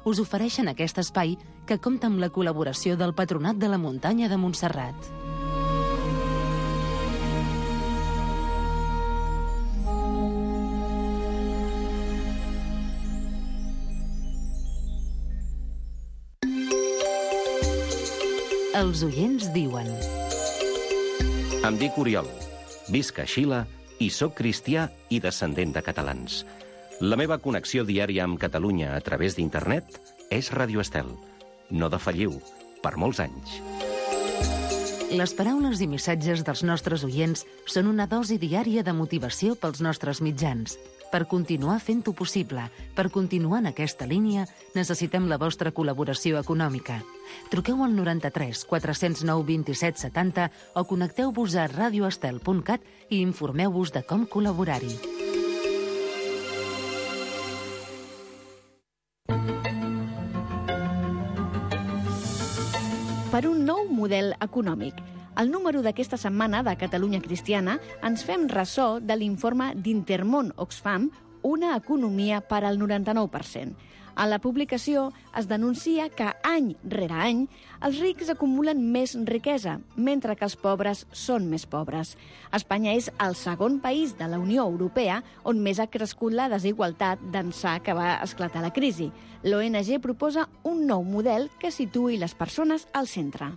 us ofereixen aquest espai que compta amb la col·laboració del Patronat de la Muntanya de Montserrat. Els oients diuen... Em dic Oriol, visc a Xile i sóc cristià i descendent de catalans. La meva connexió diària amb Catalunya a través d'internet és Radio Estel. No defalliu, per molts anys. Les paraules i missatges dels nostres oients són una dosi diària de motivació pels nostres mitjans. Per continuar fent-ho possible, per continuar en aquesta línia, necessitem la vostra col·laboració econòmica. Truqueu al 93 409 27 70 o connecteu-vos a radioestel.cat i informeu-vos de com col·laborar-hi. Per un nou model econòmic. Al número d'aquesta setmana de Catalunya Cristiana ens fem ressò de l'informe d'Intermón Oxfam, Una economia per al 99%. A la publicació es denuncia que any rere any els rics acumulen més riquesa, mentre que els pobres són més pobres. Espanya és el segon país de la Unió Europea on més ha crescut la desigualtat d'ençà que va esclatar la crisi. L'ONG proposa un nou model que situï les persones al centre.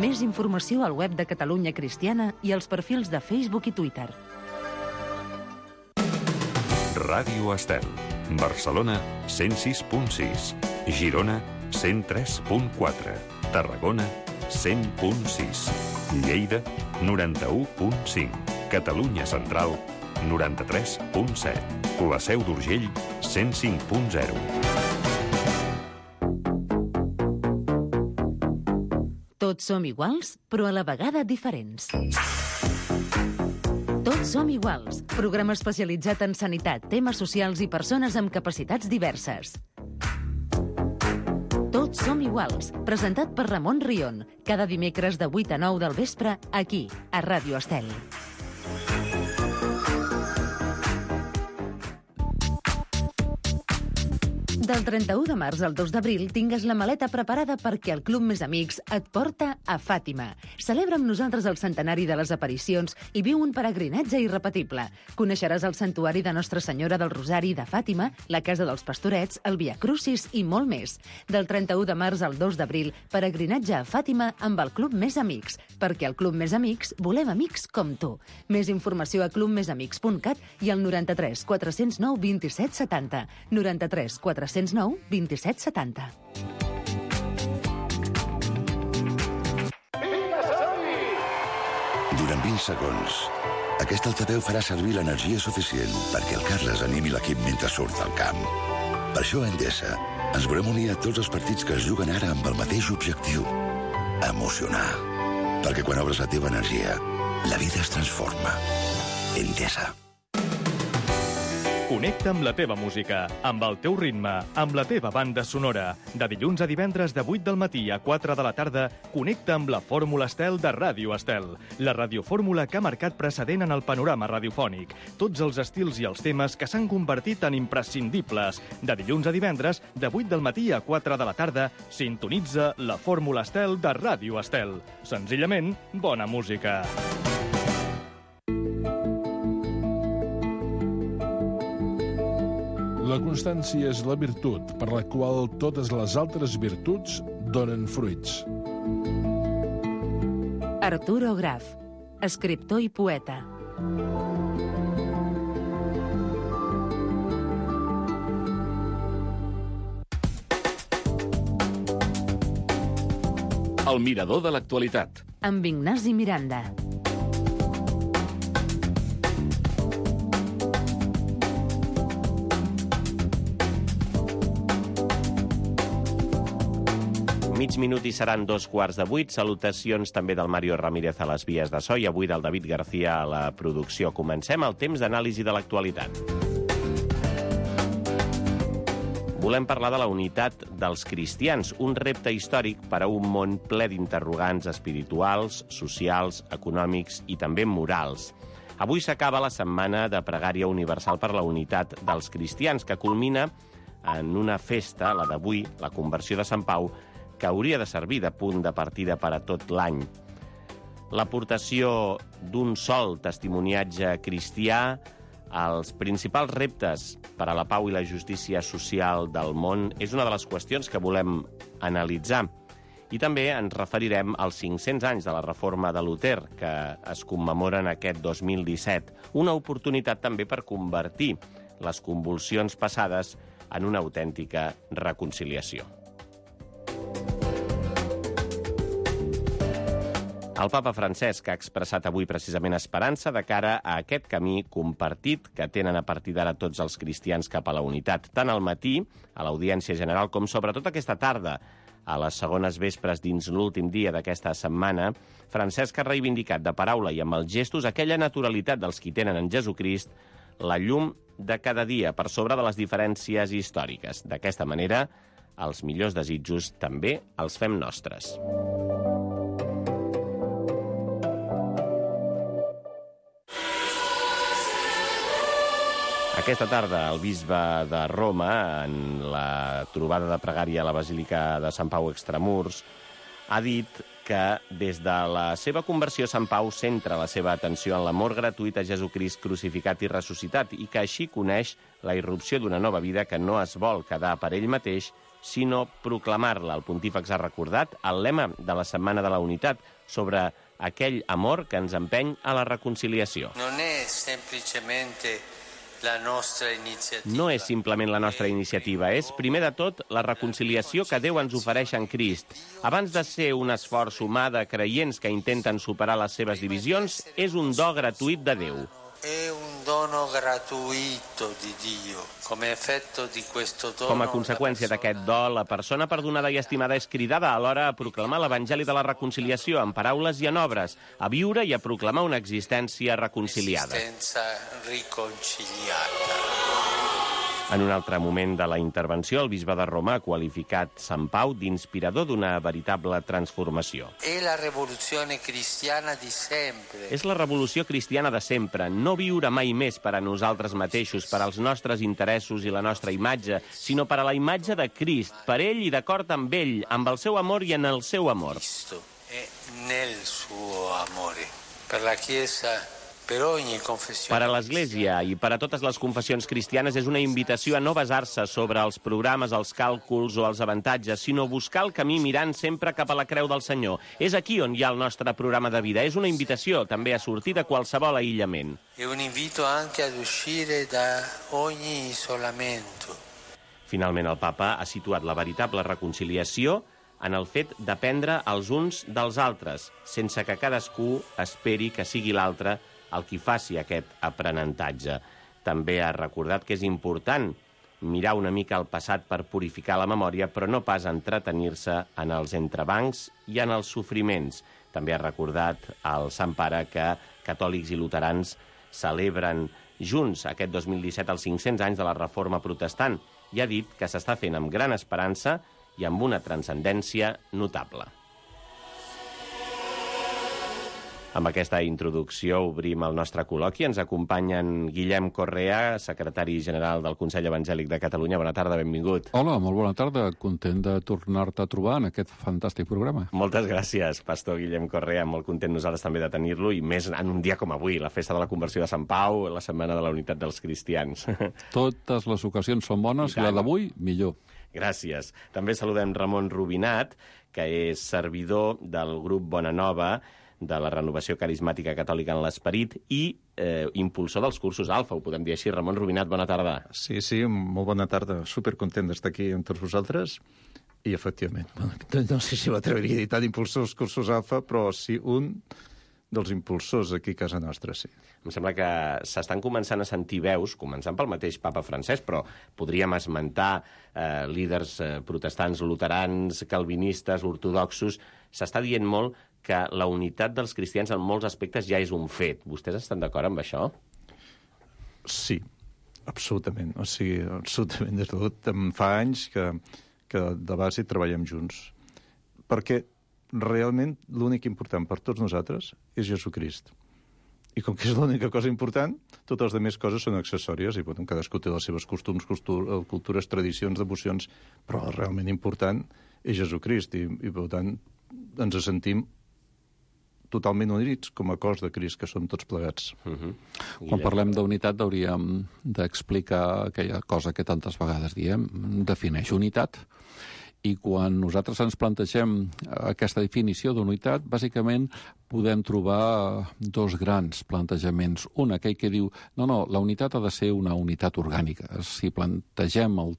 Més informació al web de Catalunya Cristiana i als perfils de Facebook i Twitter. Ràdio Estel. Barcelona, 106.6. Girona, 103.4. Tarragona, 100.6. Lleida, 91.5. Catalunya Central, 93.7. La Seu d'Urgell, 105.0. Tots som iguals, però a la vegada diferents. Tots som iguals, programa especialitzat en sanitat, temes socials i persones amb capacitats diverses. Tots som iguals, presentat per Ramon Rion, cada dimecres de 8 a 9 del vespre, aquí, a Ràdio Estel. Del 31 de març al 2 d'abril tingues la maleta preparada perquè el Club Més Amics et porta a Fàtima. Celebra amb nosaltres el centenari de les aparicions i viu un peregrinatge irrepetible. Coneixeràs el santuari de Nostra Senyora del Rosari de Fàtima, la Casa dels Pastorets, el Via Crucis i molt més. Del 31 de març al 2 d'abril, peregrinatge a Fàtima amb el Club Més Amics, perquè al Club Més Amics volem amics com tu. Més informació a clubmesamics.cat i al 93 409 27 70. 93 409 27 70. Durant 20 segons, aquest altaveu farà servir l'energia suficient perquè el Carles animi l'equip mentre surt al camp. Per això a Endesa ens volem unir a tots els partits que es juguen ara amb el mateix objectiu: emocionar. Perquè quan obres la teva energia, la vida es transforma. Endesa. Connecta amb la teva música, amb el teu ritme, amb la teva banda sonora. De dilluns a divendres de 8 del matí a 4 de la tarda, connecta amb la Fórmula Estel de Ràdio Estel. La radiofórmula que ha marcat precedent en el panorama radiofònic. Tots els estils i els temes que s'han convertit en imprescindibles. De dilluns a divendres, de 8 del matí a 4 de la tarda, sintonitza la Fórmula Estel de Ràdio Estel. Senzillament, bona música. La constància és la virtut per la qual totes les altres virtuts donen fruits. Arturo Graf, escriptor i poeta. El mirador de l'actualitat. Amb Ignasi Miranda. Mig minut i seran 7:15. Salutacions també del Mario Ramírez a les vies de so i avui del David García a la producció. Comencem el temps d'anàlisi de l'actualitat. Volem parlar de la unitat dels cristians, un repte històric per a un món ple d'interrogants espirituals, socials, econòmics i també morals. Avui s'acaba la setmana de pregària universal per la unitat dels cristians, que culmina en una festa, la d'avui, la conversió de Sant Pau, que hauria de servir de punt de partida per a tot l'any. L'aportació d'un sol testimoniatge cristià als principals reptes per a la pau i la justícia social del món és una de les qüestions que volem analitzar. I també ens referirem als 500 anys de la reforma de Luter, que es commemoren aquest 2017. Una oportunitat també per convertir les convulsions passades en una autèntica reconciliació. El papa Francesc ha expressat avui precisament esperança de cara a aquest camí compartit que tenen a partir d'ara tots els cristians cap a la unitat, tant al matí, a l'audiència general, com sobretot aquesta tarda, a les segones vespres dins l'últim dia d'aquesta setmana. Francesc ha reivindicat de paraula i amb els gestos aquella naturalitat dels qui tenen en Jesucrist la llum de cada dia per sobre de les diferències històriques. D'aquesta manera, els millors desitjos també els fem nostres. Aquesta tarda, el bisbe de Roma, en la trobada de pregària a la Basílica de Sant Pau Extramurs, ha dit que des de la seva conversió Sant Pau centra la seva atenció en l'amor gratuït a Jesucrist crucificat i ressuscitat i que així coneix la irrupció d'una nova vida que no es vol quedar per ell mateix, sinó proclamar-la. El pontífex ha recordat el lema de la Setmana de la Unitat sobre aquell amor que ens empeny a la reconciliació. No és simplement la nostra iniciativa, és, primer de tot, la reconciliació que Déu ens ofereix en Crist. Abans de ser un esforç humà de creients que intenten superar les seves divisions, és un do gratuït de Déu. Com a conseqüència d'aquest do, la persona perdonada i estimada és cridada alhora a proclamar l'Evangeli de la reconciliació en paraules i en obres, a viure i a proclamar una existència reconciliada. En un altre moment de la intervenció, el bisbe de Roma ha qualificat Sant Pau d'inspirador d'una veritable transformació. És la revolució cristiana de sempre. No viure mai més per a nosaltres mateixos, per als nostres interessos i la nostra imatge, sinó per a la imatge de Crist, per ell i d'acord amb ell, amb el seu amor i en el seu amor. Per la Chiesa, per a l'Església i per a totes les confessions cristianes és una invitació a no basar-se sobre els programes, els càlculs o els avantatges, sinó buscar el camí mirant sempre cap a la creu del Senyor. És aquí on hi ha el nostre programa de vida. És una invitació també a sortir de qualsevol aïllament. Un invito anche ad uscire da ogni isolamento. Finalment, el papa ha situat la veritable reconciliació en el fet d'aprendre els uns dels altres, sense que cadascú esperi que sigui l'altre el qui faci aquest aprenentatge. També ha recordat que és important mirar una mica al passat per purificar la memòria, però no pas entretenir-se en els entrebancs i en els sofriments. També ha recordat al Sant Pare que catòlics i luterans celebren junts aquest 2017 els 500 anys de la Reforma Protestant i ha dit que s'està fent amb gran esperança i amb una transcendència notable. Amb aquesta introducció obrim el nostre col·loqui. Ens acompanyen Guillem Correa, secretari general del Consell Evangèlic de Catalunya. Bona tarda, benvingut. Hola, molt bona tarda. Content de tornar-te a trobar en aquest fantàstic programa. Moltes gràcies, pastor Guillem Correa. Molt content nosaltres també de tenir-lo, i més en un dia com avui, la festa de la conversió de Sant Pau, la Setmana de la Unitat dels Cristians. Totes les ocasions són bones i la d'avui, millor. Gràcies. També saludem Ramon Rubinat, que és servidor del grup Bona Nova, de la Renovació Carismàtica Catòlica en l'Esperit i impulsor dels cursos Alfa, ho podem dir així. Ramon Rubinat, bona tarda. Sí, molt bona tarda. Supercontent d'estar aquí amb tots vosaltres. I, efectivament, no sé si m'atreviria a dir tant impulsor dels cursos Alfa, però sí un dels impulsors aquí a casa nostra, sí. Em sembla que s'estan començant a sentir veus, començant pel mateix papa Francesc, però podríem esmentar líders protestants, luterans, calvinistes, ortodoxos. S'està dient molt que la unitat dels cristians en molts aspectes ja és un fet. Vostès estan d'acord amb això? Sí, absolutament. O sigui, absolutament. Des de tot, fa anys que de base treballem junts. Perquè realment l'únic important per tots nosaltres és Jesucrist. I com que és l'única cosa important, totes les altres coses són accessòries i cadascú té les seves costums, cultures, tradicions, devocions, però el realment important és Jesucrist i per tant ens sentim totalment units com a cos de Crist, que són tots plegats. Quan parlem d'unitat hauríem d'explicar aquella cosa que tantes vegades diem, defineix unitat. I quan nosaltres ens plantegem aquesta definició d'unitat, bàsicament podem trobar dos grans plantejaments. Un, aquell que diu, no, la unitat ha de ser una unitat orgànica. Si plantegem el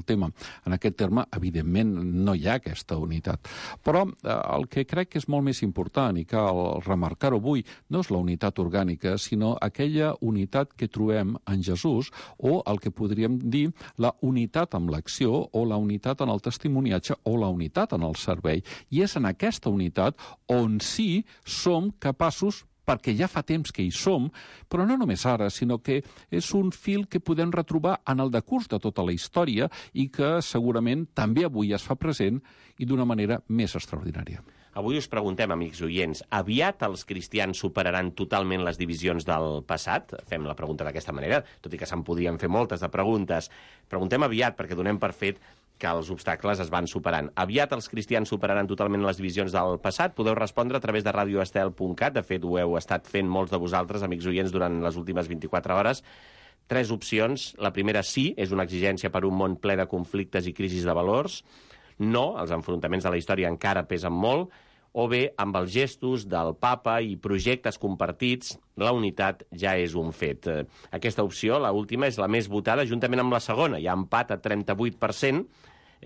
tema en aquest terme, evidentment no hi ha aquesta unitat. Però el que crec que és molt més important, i cal remarcar-ho avui, no és la unitat orgànica, sinó aquella unitat que trobem en Jesús, o el que podríem dir la unitat amb l'acció, o la unitat en el testimoniatge, o la unitat en el servei. I és en aquesta unitat on sí som capaços, perquè ja fa temps que hi som, però no només ara, sinó que és un fil que podem retrobar en el decurs de tota la història i que segurament també avui es fa present i d'una manera més extraordinària. Avui us preguntem, amics oients, aviat els cristians superaran totalment les divisions del passat? Fem la pregunta d'aquesta manera, tot i que se'n podrien fer moltes de preguntes. Preguntem aviat perquè donem per fet que els obstacles es van superant. Aviat els cristians superaran totalment les divisions del passat? Podeu respondre a través de radioestel.cat. De fet, ho heu estat fent molts de vosaltres, amics oients, durant les últimes 24 hores. 3 opcions. La primera, sí, és una exigència per un món ple de conflictes i crisis de valors. No, els enfrontaments de la història encara pesen molt. O bé, amb els gestos del papa i projectes compartits, la unitat ja és un fet. Aquesta opció, la última, és la més votada, juntament amb la segona. Hi ha empat a 38%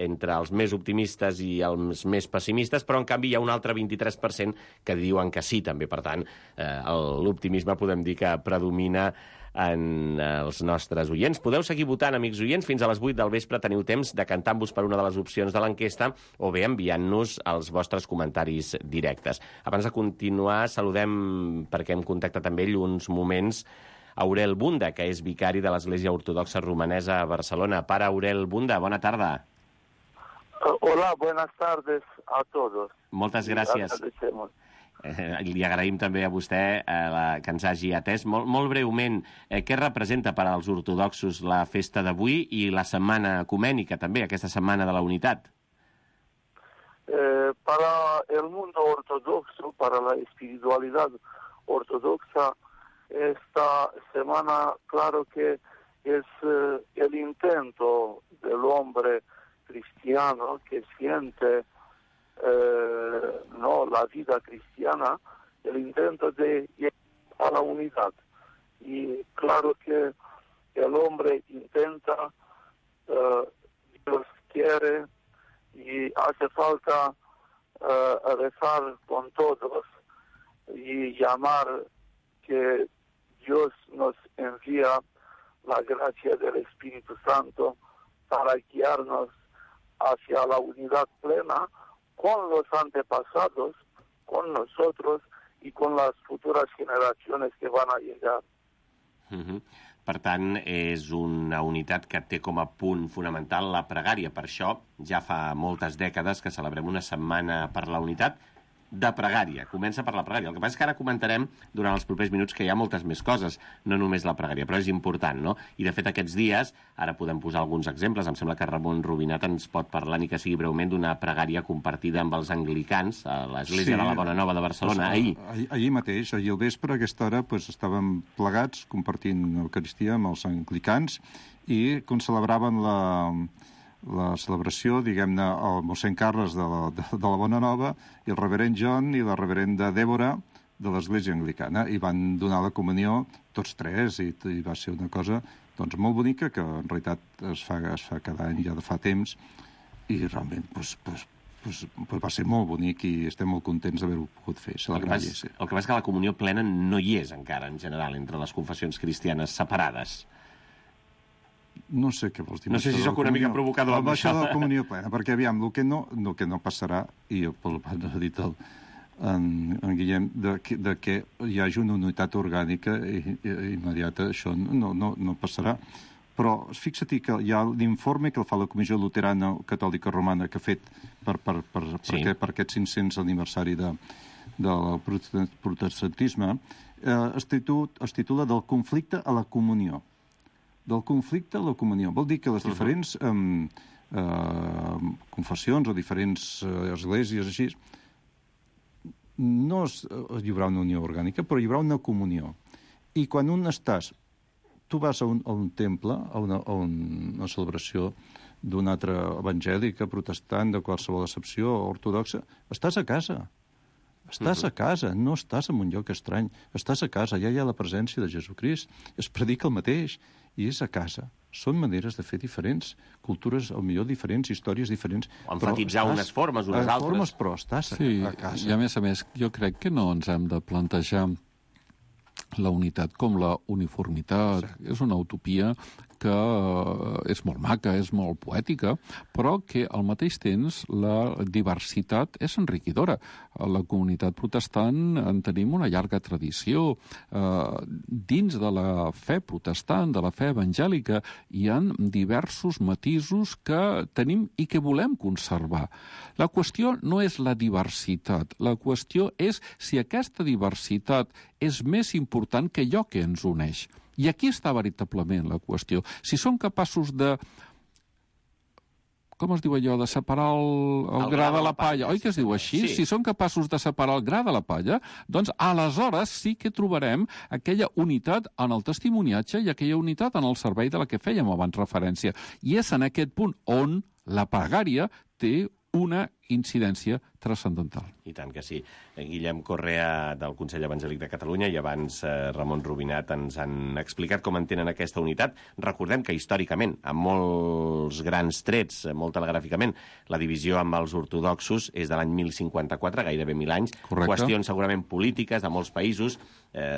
entre els més optimistes i els més pessimistes, però en canvi hi ha un altre 23% que diuen que sí, també. Per tant, l'optimisme podem dir que predomina en els nostres oients. Podeu seguir votant, amics oients, fins a les 8 del vespre. Teniu temps de cantar-vos per una de les opcions de l'enquesta o bé enviant-nos els vostres comentaris directes. Abans de continuar, saludem, perquè hem contactat amb ell uns moments, Aurel Bunda, que és vicari de l'Església Ortodoxa Romanesa a Barcelona. Pare Aurel Bunda, bona tarda. Hola, buenas tardes a todos. Moltes gràcies. Li agraïm també a vostè que ens hagi atès. Molt breument, què representa per als ortodoxos la festa d'avui i la setmana ecumènica també, aquesta setmana de la unitat? Para el mundo ortodoxo, para la espiritualidad ortodoxa, esta semana, claro que es el intento del hombre cristiano que siente la vida cristiana, el intento de llegar a la unidad. Y claro que el hombre intenta, Dios quiere y hace falta rezar con todos y llamar que Dios nos envía la gracia del Espíritu Santo para guiarnos hacia la unidad plena con los antepasados, con nosotros y con las futuras generaciones que van a llegar. Per tant, és una unitat que té com a punt fonamental la pregària. Per això, ja fa moltes dècades que celebrem una setmana per la unitat de pregària. Comença per la pregària. El que passa és que ara comentarem durant els propers minuts que hi ha moltes més coses, no només la pregària, però és important, no? I de fet aquests dies, ara podem posar alguns exemples, em sembla que Ramon Rubinat ens pot parlar, ni que sigui breument, d'una pregària compartida amb els anglicans a l'Església de la Bona Nova de Barcelona, ahir. Ahir mateix, ahir al vespre, a aquesta hora, estàvem plegats compartint l'Eucaristia amb els anglicans i celebraven la celebració, diguem-ne, el mossèn Carles de la Bona Nova i el reverend John i la reverenda Dèbora de l'Església Anglicana, i van donar la comunió tots tres, i va ser una cosa molt bonica, que en realitat es fa cada any ja de fa temps, i realment va ser molt bonic i estem molt contents d'haver-ho pogut fer. El que passa és que la comunió plena no hi és encara, en general, entre les confessions cristianes separades. No sé què vols dir. No sé si sóc una mica provocador amb això. De la comunió plena, perquè aviam, el que no passarà, i ha dit en Guillem, de que hi hagi una unitat orgànica immediata, això no passarà. Però fixa't que hi ha l'informe que el fa la Comissió Luterana Catòlica Romana que ha fet per aquest 500 aniversari del protestantisme, es titula Del conflicte a la comunió. Del conflicte a la comunió. Vol dir que les diferents confessions o diferents esglésies així, no hi haurà una unió orgànica, però hi haurà una comunió. I quan tu vas a un temple, a una celebració d'una altra evangèlica, protestant, de qualsevol accepció, ortodoxa, estàs a casa. Estàs a casa, no estàs en un lloc estrany. Estàs a casa, ja hi ha la presència de Jesucrist. Es predica el mateix i és a casa. Són maneres de fer diferents, cultures, potser diferents, històries diferents. Emfatitzar unes formes, unes altres. Formes, però estàs a casa. I a més, jo crec que no ens hem de plantejar la unitat com la uniformitat. Exacte. És una utopia que és molt maca, és molt poètica, però que al mateix temps la diversitat és enriquidora. A la comunitat protestant en tenim una llarga tradició. Dins de la fe protestant, de la fe evangèlica, hi ha diversos matisos que tenim i que volem conservar. La qüestió no és la diversitat, la qüestió és si aquesta diversitat és més important que allò que ens uneix. I aquí està veritablement la qüestió. Si som capaços de, com es diu allò, de separar el gra de la palla, oi que es diu així? Sí. Si som capaços de separar el gra de la palla, doncs aleshores sí que trobarem aquella unitat en el testimoniatge i aquella unitat en el servei de la que fèiem abans referència. I és en aquest punt on la pregària té una incidència transcendental. I tant que sí. Guillem Correa, del Consell Evangèlic de Catalunya, i abans Ramon Rubinat ens han explicat com entenen aquesta unitat. Recordem que històricament, amb molts grans trets, molt telegràficament, la divisió amb els ortodoxos és de l'any 1054, gairebé 1000 anys. Correcte. Qüestions segurament polítiques de molts països.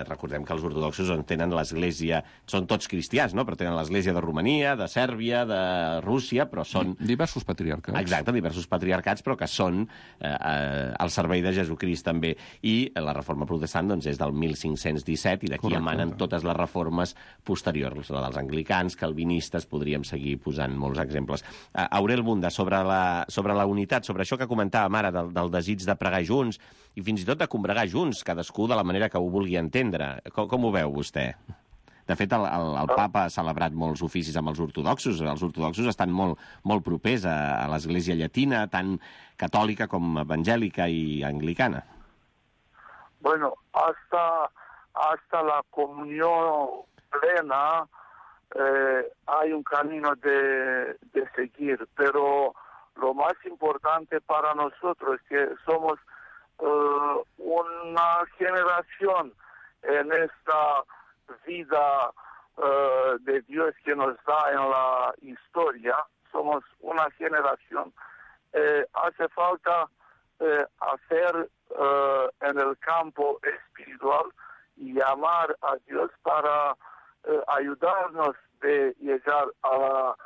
Recordem que els ortodoxos tenen l'església, són tots cristians, no? Però tenen l'església de Romania, de Sèrbia, de Rússia, però són... Diversos patriarcats. Exacte, diversos patriarcats, però que són al servei de Jesucrist també. I la reforma protestant doncs, és del 1517 i d'aquí emanen totes les reformes posteriors, la dels anglicans, calvinistes, podríem seguir posant molts exemples. Aurel Bunda, sobre la unitat, sobre això que comentàvem ara, del desig de pregar junts i fins i tot de combregar junts, cadascú de la manera que ho vulgui entendre. Com ho veu vostè? De fet, el papa ha celebrat molts oficis amb els ortodoxos. Els ortodoxos estan molt propers a l'església llatina, tant catòlica com evangèlica i anglicana. Bueno, hasta la comunión plena hay un camino de seguir, pero lo más importante para nosotros es que somos una generación en esta vida de Dios que nos da en la historia. Somos una generación. Hace falta hacer en el campo espiritual y llamar a Dios para ayudarnos de llegar a la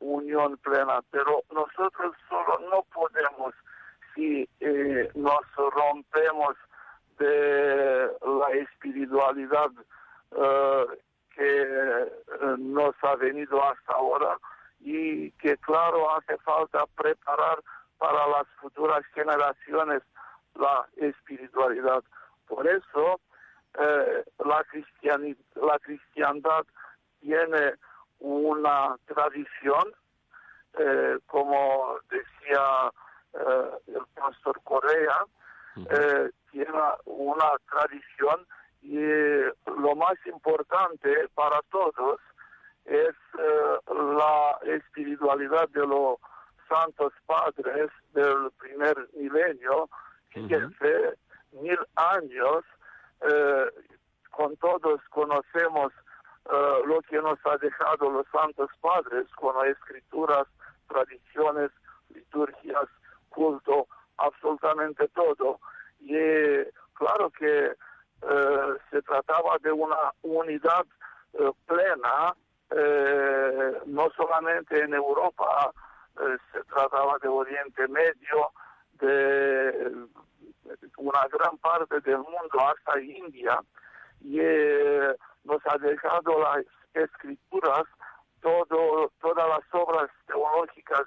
unión plena. Pero nosotros solo no podemos si nos rompemos de la espiritualidad que nos ha venido hasta ahora y que, claro, hace falta preparar para las futuras generaciones la espiritualidad. Por eso la cristiandad tiene una tradición, como decía el pastor Correa, tiene una tradición y lo más importante para todos es la espiritualidad de los santos padres del primer milenio, que hace 1000 años con todos conocemos lo que nos ha dejado los santos padres con las escrituras, tradiciones, liturgias, culto, absolutamente todo. Y claro que se trataba de una unidad plena, no solamente en Europa, se trataba de Oriente Medio, de una gran parte del mundo hasta India, y nos ha dejado las escrituras, todas las obras teológicas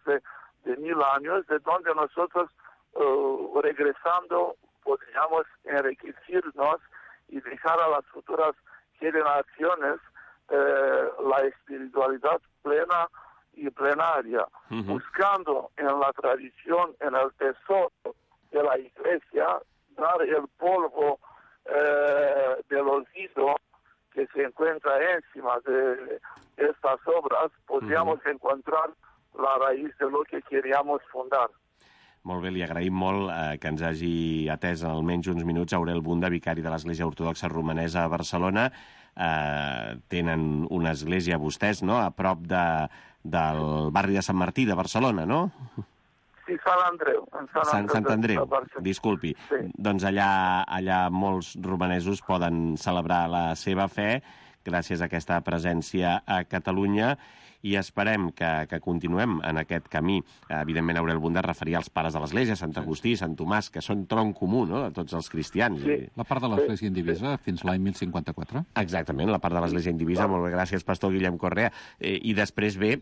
de 1000 años, de donde nosotros regresando podríamos enriquecernos y dejar a las futuras generaciones la espiritualidad plena y plenaria, buscando en la tradición, en el tesoro de la Iglesia, dar el polvo del olvido que se encuentra encima de estas obras, podríamos encontrar la raíz de lo que queríamos fundar. Molt bé, li agraïm molt que ens hagi atès almenys uns minuts Aurel Bunda, vicari de l'Església Ortodoxa Romanesa a Barcelona. Tenen una església vostès, no?, a prop del barri de Sant Martí de Barcelona, no? Sí, Sant Andreu. Sant Andreu, disculpi. Sí. Doncs allà molts romanesos poden celebrar la seva fe gràcies a aquesta presència a Catalunya i esperem que continuem en aquest camí. Evidentment, Aurel Bunda es referia als pares de l'Església, Sant Agustí, Sant Tomàs, que són tronc comú, no?, de tots els cristians. Sí. La part de l'Església indivisa fins l'any 1054? Exactament, la part de l'Església indivisa. Molt bé, gràcies, pastor Guillem Correa. I després ve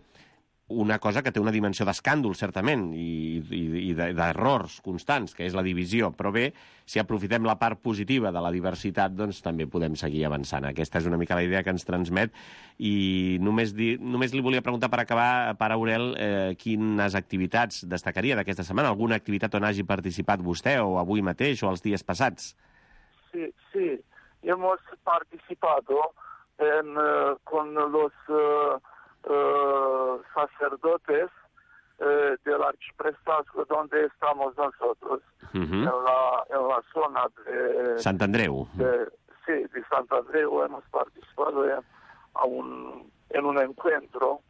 una cosa que té una dimensió d'escàndol, certament, i d'errors constants, que és la divisió. Però bé, si aprofitem la part positiva de la diversitat, doncs també podem seguir avançant. Aquesta és una mica la idea que ens transmet. I només li volia preguntar per acabar, Pare Aurel, quines activitats destacaria d'aquesta setmana? Alguna activitat on hagi participat vostè, o avui mateix, o els dies passats? Sí. Hemos participado con los sacerdotes del arciprestazgo donde estamos nosotros, en la zona de Sant Andreu. De Sant Andreu hemos participado en un encuentro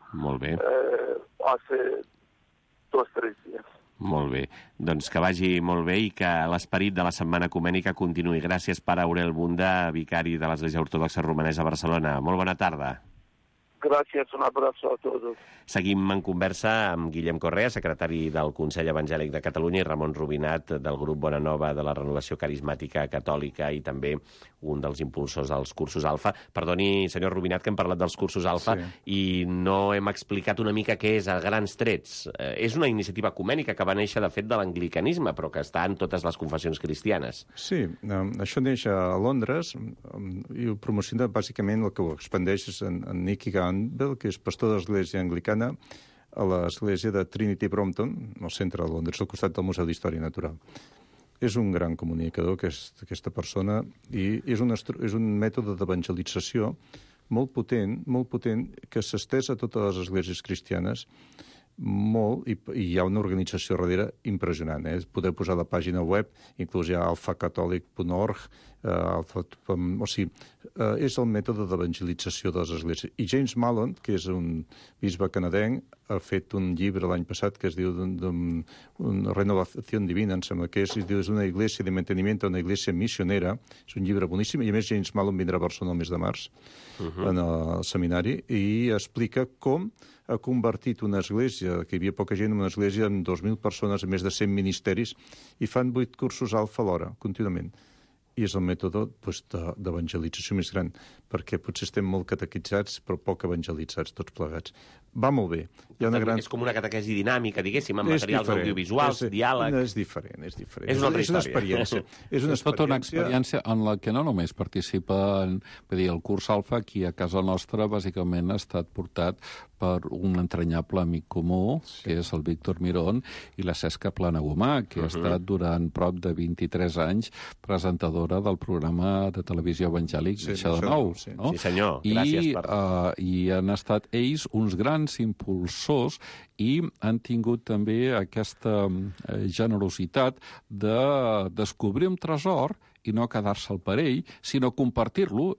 hace 2-3 días. Molt bé. Doncs que vagi molt bé i que l'esperit de la Setmana Ecumènica continuï. Gràcies, Pare Aurel Bunda, vicari de l'Església Ortodoxa Romanesa a Barcelona. Molt bona tarda. Gràcies, un abraço a tots. Seguim en conversa amb Guillem Correa, secretari del Consell Evangèlic de Catalunya, i Ramon Rubinat, del grup Bona Nova de la Renovació Carismàtica Catòlica i també un dels impulsors dels cursos Alfa. Perdoni, senyor Rubinat, que hem parlat dels cursos Alfa i no hem explicat una mica què és a grans trets. És una iniciativa ecumènica que va néixer, de fet, de l'anglicanisme, però que està en totes les confessions cristianes. Sí, això neix a Londres i ho promociona bàsicament el que ho expandeix és en Nicky Campbell, que és pastor de l'Església Anglicana a l'església de Trinity Brompton, al centre de Londres, al costat del Museu d'Història Natural. És un gran comunicador, aquesta persona, i és un mètode d'evangelització molt potent, que s'estès a totes les esglésies cristianes, molt, i hi ha una organització darrere impressionant. Podeu posar la pàgina web, inclús hi ha alfacatolic.org, és el mètode d'evangelització de les esglésies. I James Mallon, que és un bisbe canadenc, ha fet un llibre l'any passat que es diu una renovació divina, em sembla que és una iglesia de manteniment a una iglesia missionera. És un llibre boníssim, i a més James Mallon vindrà a Barcelona el mes de març en el seminari, i explica com ha convertit una església, que hi havia poca gent, en una església amb 2.000 persones, amb més de 100 ministeris, i fan 8 cursos alfa alhora, contínuament. I és el mètode d'evangelització més gran, perquè potser estem molt catequitzats, però poc evangelitzats, tots plegats. Va molt bé. És com una catequesi dinàmica, diguéssim, amb materials audiovisuals, diàleg... És diferent. És una altra història. Experiència. És tota una experiència en la que no només participen, el curs Alfa, aquí a casa nostra, bàsicament ha estat portat per un entranyable amic comú, que és el Víctor Mirón, i la Cesca Planagumà, que ha estat durant prop de 23 anys presentadora del programa de televisió evangèlic Això de Nou. Sí, senyor. Gràcies per... I han estat ells uns grans impulsors i han tingut també aquesta generositat de descobrir un tresor i no quedar-se al parell, sinó compartir-lo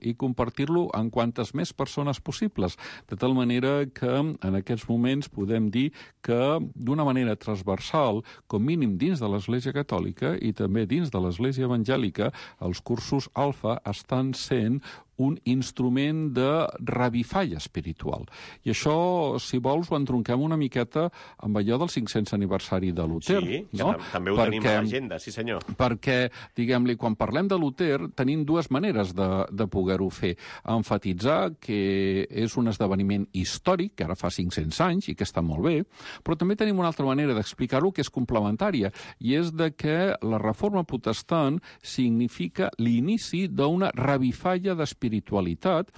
amb quantes més persones possibles. De tal manera que en aquests moments podem dir que d'una manera transversal, com mínim dins de l'Església Catòlica i també dins de l'Església Evangèlica, els cursos Alfa estan sent un instrument de revifall espiritual. I això, si vols, ho entronquem una miqueta amb allò del 500 aniversari de Luter. Sí, no? També ho tenim a l'agenda, sí senyor. Perquè, diguem-li, quan parlem de Luter, tenim dues maneres de poder-ho fer. Emfatitzar que és un esdeveniment històric, que ara fa 500 anys, i que està molt bé, però també tenim una altra manera d'explicar-ho que és complementària, i és de que la reforma protestant significa l'inici d'una revifalla d'espiritualitat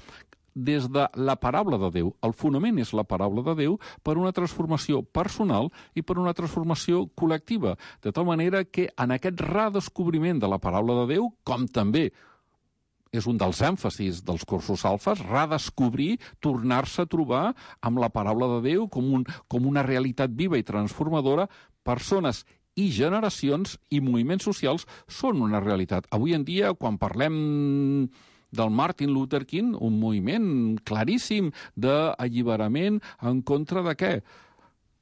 des de la paraula de Déu. El fonament és la paraula de Déu per una transformació personal i per una transformació col·lectiva, de tal manera que en aquest redescobriment de la paraula de Déu, com també és un dels èmfasis dels cursos alfes, redescobrir, tornar-se a trobar amb la paraula de Déu com una realitat viva i transformadora. Persones i generacions i moviments socials són una realitat. Avui en dia, quan parlem del Martin Luther King, un moviment claríssim d'alliberament en contra de què?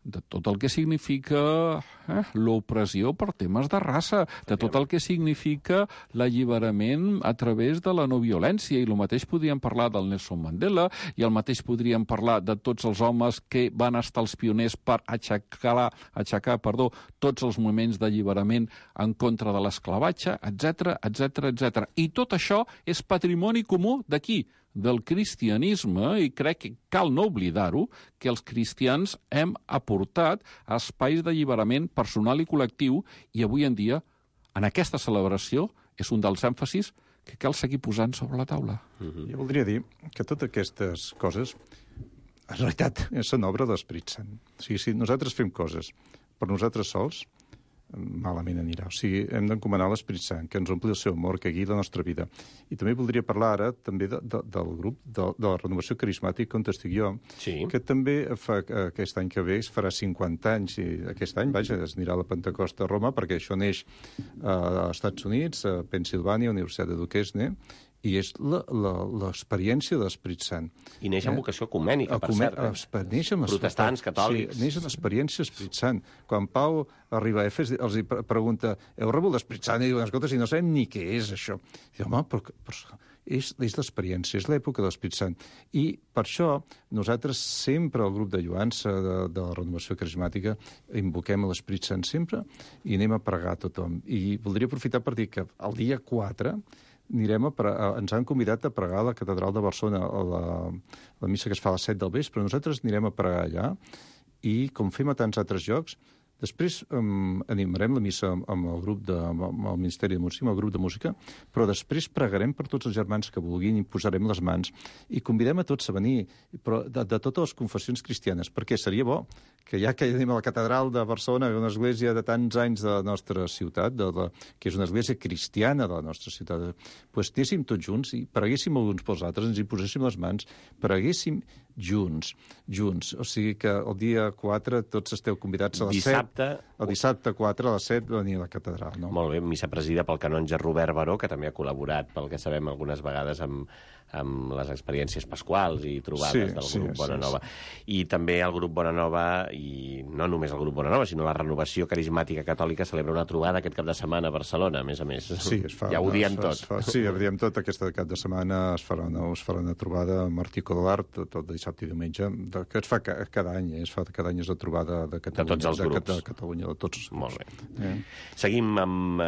De tot el que significa l'opressió per temes de raça, de tot el que significa l'alliberament a través de la no violència. I el mateix podríem parlar del Nelson Mandela, i el mateix podríem parlar de tots els homes que van estar els pioners per aixecar tots els moviments d'alliberament en contra de l'esclavatge, etc. I tot això és patrimoni comú d'aquí, del cristianisme, i crec que cal no oblidar-ho, que els cristians hem aportat espais d'alliberament personal i col·lectiu, i avui en dia, en aquesta celebració, és un dels èmfasis que cal seguir posant sobre la taula. Jo voldria dir que totes aquestes coses, en realitat, són obra de l'Esperit Sant. O sigui, si nosaltres fem coses per nosaltres sols, malament anirà. O sigui, hem d'encomanar l'Esperit Sant, que ens ompli el seu amor, que guiï la nostra vida. I també voldria parlar ara també del grup de la renovació carismàtica on estic jo, que també fa aquest any que ve es farà 50 anys, i aquest any, vaja, es anirà a la Pentecosta a Roma, perquè això neix als Estats Units, a Pennsilvània, Universitat de Duquesne, i és l'experiència de l'Esperit Sant. I neix amb vocació ecumènica, per cert. Protestants, catòlics. Sí, neix amb l'experiència de l'Esperit Sant. Quan Pau arriba a Efes, els pregunta, heu rebut l'Esperit Sant? I diuen, escolta, si no sabem ni què és això. I diu, home, però és l'experiència, és l'època de l'Esperit Sant. I per això nosaltres sempre, el grup de lluança de la renovació carismàtica, invoquem l'Esperit Sant sempre i anem a pregar a tothom. I voldria aprofitar per dir que el dia 4 ens han convidat a pregar a la Catedral de Barcelona, a la missa que es fa a les 7 del vespre. Nosaltres anirem a pregar allà i, com fem a tants altres llocs, després animarem la missa amb el grup amb el Ministeri de Música, amb el grup de música, però després pregarem per tots els germans que vulguin i posarem les mans i convidem a tots a venir, però de totes les confessions cristianes, perquè seria bo que ja que anem a la Catedral de Barcelona, una església de tants anys de la nostra ciutat, que és una església cristiana de la nostra ciutat, doncs anéssim tots junts i preguéssim els uns pels altres, ens hi poséssim les mans, preguéssim junts. O sigui que el dia 4 tots esteu convidats a les 7. El dissabte 4 a les 7 venir a la catedral. No? Molt bé, missa presidida pel canonge Robert Baró, que també ha col·laborat, pel que sabem, algunes vegades amb les experiències pasquals i trobades del grup Bona Nova. I també el grup Bona Nova, i no només el grup Bona Nova, sinó la Renovació Carismàtica Catòlica celebra una trobada aquest cap de setmana a Barcelona, a més a més. Sí, es fa. Ja ho diem tot. Sí, ho diem tot. Aquesta cap de setmana es farà una trobada amb Martí Codolart, tot dissabte i diumenge, que es fa cada any. Cada any és la trobada de Catalunya. De tots els grups. De Catalunya, de tots. Molt bé. Seguim amb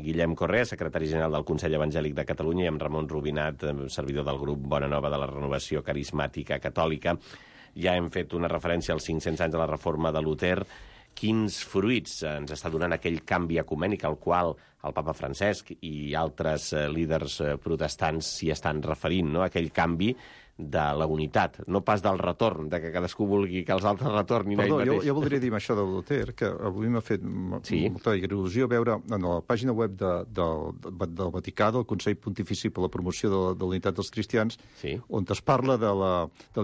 Guillem Correa, secretari general del Consell Evangèlic de Catalunya, i amb Ramon Rubinat, servidor del grup Bona Nova de la Renovació Carismàtica Catòlica. Ja hem fet una referència als 500 anys de la reforma de Luter. Quins fruits ens està donant aquell canvi ecumènic al qual el papa Francesc i altres líders protestants s'hi estan referint, no? Aquell canvi de la unitat, no pas del retorn, de que cadascú vulgui que els altres retornin ell mateix. Jo voldria dir amb això de Luter, que avui m'ha fet molta il·lusió veure en la pàgina web del Vaticà, del Consell Pontifici per la Promoció de la Unitat dels Cristians, on es parla de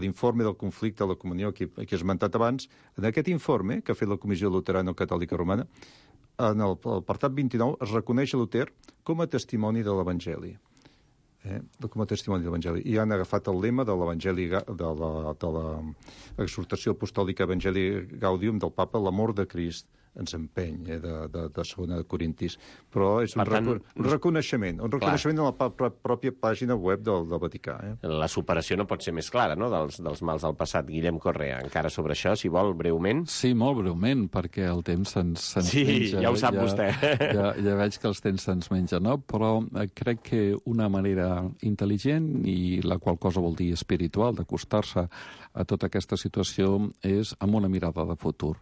l'informe del conflicte a la comunió que he esmentat abans. En aquest informe, que ha fet la Comissió Luterano-Catòlica Romana, en l'apartat 29 es reconeix a Luter com a testimoni de l'Evangeli. Com a testimoni de l'Evangeli. I han agafat el lema de l'Evangeli, de l'exhortació apostòlica Evangelii Gaudium del papa, l'amor de Crist ens empeny, de segona de Corintis. Però és un reconeixement de la pròpia pàgina web del Vaticà. La superació no pot ser més clara, no?, dels mals del passat. Guillem Correa, encara sobre això, si vol, breument. Sí, molt breument, perquè el temps se'ns menja. Ja ho sap vostè. Ja veig que els temps se'ns menja, no? Però crec que una manera intel·ligent, i la qual cosa vol dir espiritual, d'acostar-se a tota aquesta situació, és amb una mirada de futur.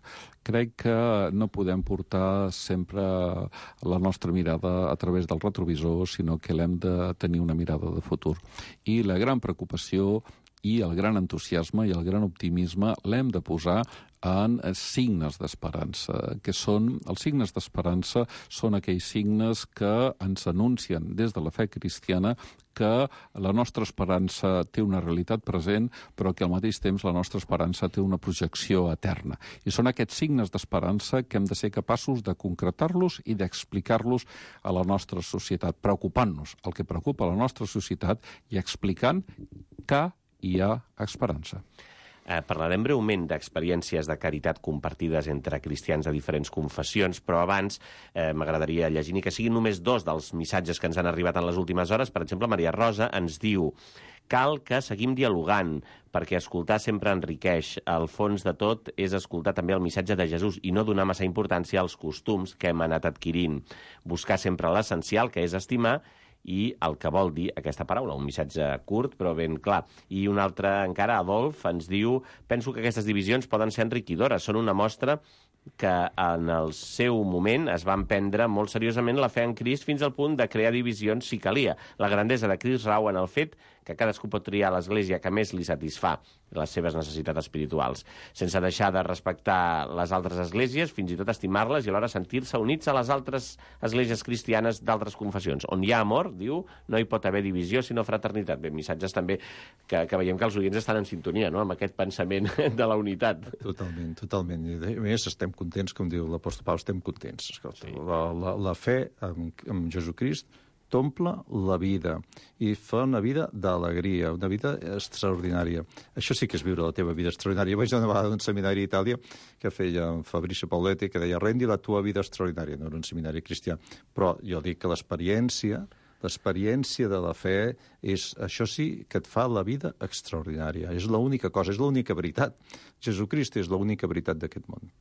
Crec que no podem portar sempre la nostra mirada a través del retrovisor, sinó que l'hem de tenir una mirada de futur. I la gran preocupació i el gran entusiasme i el gran optimisme l'hem de posar en signes d'esperança, que són, els signes d'esperança són aquells signes que ens anuncien des de la fe cristiana que la nostra esperança té una realitat present, però que al mateix temps la nostra esperança té una projecció eterna. I són aquests signes d'esperança que hem de ser capaços de concretar-los i d'explicar-los a la nostra societat, preocupant-nos el que preocupa la nostra societat i explicant que hi ha esperança. Parlarem breument d'experiències de caritat compartides entre cristians de diferents confessions, però abans m'agradaria llegir ni que siguin només 2 dels missatges que ens han arribat en les últimes hores. Per exemple, Maria Rosa ens diu: cal que seguim dialogant, perquè escoltar sempre enriqueix. Al fons de tot és escoltar també el missatge de Jesús i no donar massa importància als costums que hem anat adquirint. Buscar sempre l'essencial, que és estimar, i el que vol dir aquesta paraula, un missatge curt però ben clar. I un altre encara, Adolf, ens diu: penso que aquestes divisions poden ser enriquidores, són una mostra que en el seu moment es van prendre molt seriosament la fe en Crist fins al punt de crear divisions si calia. La grandesa de Crist rau en el fet que cadascú pot triar l'església que més li satisfà les seves necessitats espirituals, sense deixar de respectar les altres esglésies, fins i tot estimar-les i alhora sentir-se units a les altres esglésies cristianes d'altres confessions. On hi ha amor, diu, no hi pot haver divisió sinó fraternitat. Bé, missatges també que veiem que els oients estan en sintonia, no?, amb aquest pensament de la unitat. Totalment, totalment. I a més, estem contents, com diu l'apòstol Pau, estem contents. Escolta, sí. La fe en Jesucrist t'omple la vida i fa una vida d'alegria, una vida extraordinària. Això sí que és viure la teva vida extraordinària. Vaig anar una vegada a un seminari a Itàlia que feia Fabrizio Pauletti, que deia: rendi la tua vida extraordinària. No era un seminari cristià, però jo dic que l'experiència de la fe és, això sí, que et fa la vida extraordinària. És l'única cosa, és l'única veritat. Jesucrist és l'única veritat d'aquest món.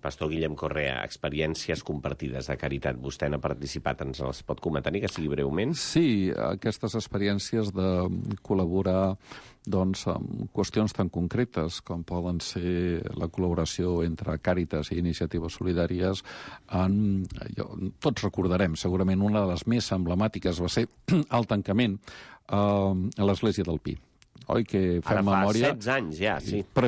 Pastor Guillem Correa, experiències compartides de caritat. Vostè n'ha participat, ens les pot comentar, ni que sigui breument? Sí, aquestes experiències de col·laborar doncs, amb qüestions tan concretes com poden ser la col·laboració entre Càritas i Iniciatives Solidàries. Tots recordarem, segurament una de les més emblemàtiques va ser el tancament a l'Església del Pi. Oi, que fem memòria... Ara fa 16 anys ja, sí. Per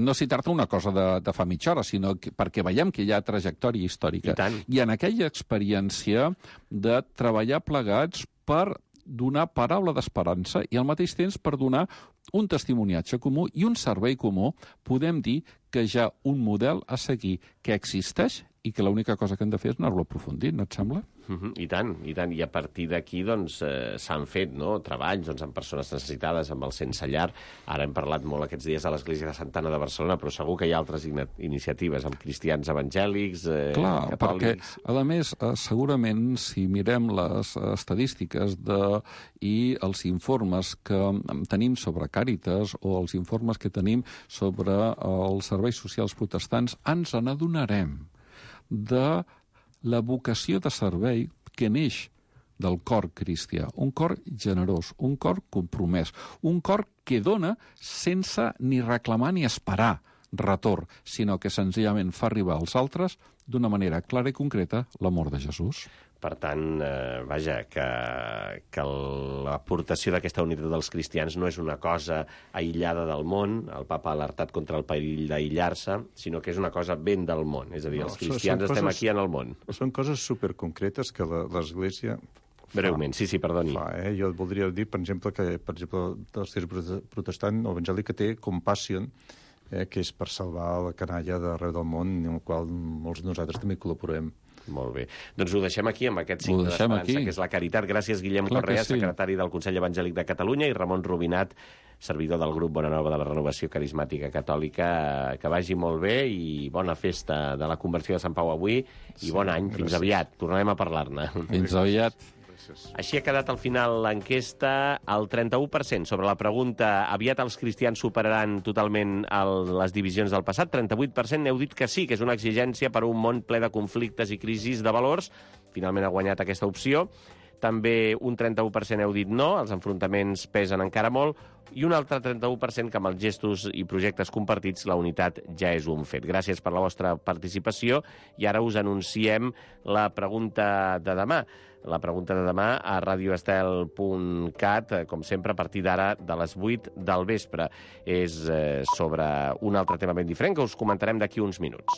no citar-te una cosa de fa mitja hora, sinó perquè veiem que hi ha trajectòria històrica. I en aquella experiència de treballar plegats per donar paraula d'esperança i al mateix temps per donar un testimoniatge comú i un servei comú, podem dir que hi ha un model a seguir que existeix i que l'única cosa que hem de fer és anar-lo aprofundint, no et sembla? I tant, i tant. I a partir d'aquí doncs, s'han fet treballs amb persones necessitades, amb el sense llar. Ara hem parlat molt aquests dies a l'Església de Santa Anna de Barcelona, però segur que hi ha altres iniciatives amb cristians evangèlics, catòlics... Perquè, a més, segurament, si mirem les estadístiques i els informes que tenim sobre Càritas o els informes que tenim sobre els serveis socials protestants, ens n'adonarem de la vocació de servei que neix del cor cristià. Un cor generós, un cor compromès, un cor que dona sense ni reclamar ni esperar retorn, sinó que senzillament fa arribar als altres d'una manera clara i concreta l'amor de Jesús. Per tant, vaja, que l'aportació d'aquesta unitat dels cristians no és una cosa aïllada del món, el papa ha alertat contra el perill d'aïllar-se, sinó que és una cosa ben del món, és a dir, els cristians estem aquí en el món. Són coses superconcretes que l'Església... Breument, sí, perdoni. Jo voldria dir, per exemple, que l'Església protestant o evangèlica té Compassion, que és per salvar la canalla d'arreu del món, en el qual molts de nosaltres també col·laborem. Molt bé. Doncs ho deixem aquí, amb aquest signe d'esperança, que és la caritat. Gràcies, Guillem Correa, secretari del Consell Evangèlic de Catalunya, i Ramon Rubinat, servidor del grup Bonanova de la Renovació Carismàtica Catòlica. Que vagi molt bé i bona festa de la conversió de Sant Pau avui i bon any. Fins aviat. Tornarem a parlar-ne. Fins aviat. Així ha quedat al final l'enquesta. El 31% sobre la pregunta aviat els cristians superaran totalment les divisions del passat. 38% n'heu dit que sí, que és una exigència per a un món ple de conflictes i crisis de valors. Finalment ha guanyat aquesta opció. També un 31% heu dit no, els enfrontaments pesen encara molt, i un altre 31% que amb els gestos i projectes compartits la unitat ja és un fet. Gràcies per la vostra participació, i ara us anunciem la pregunta de demà. La pregunta de demà a radioestel.cat, com sempre, a partir d'ara de les 8 del vespre. És sobre un altre tema ben diferent que us comentarem d'aquí uns minuts.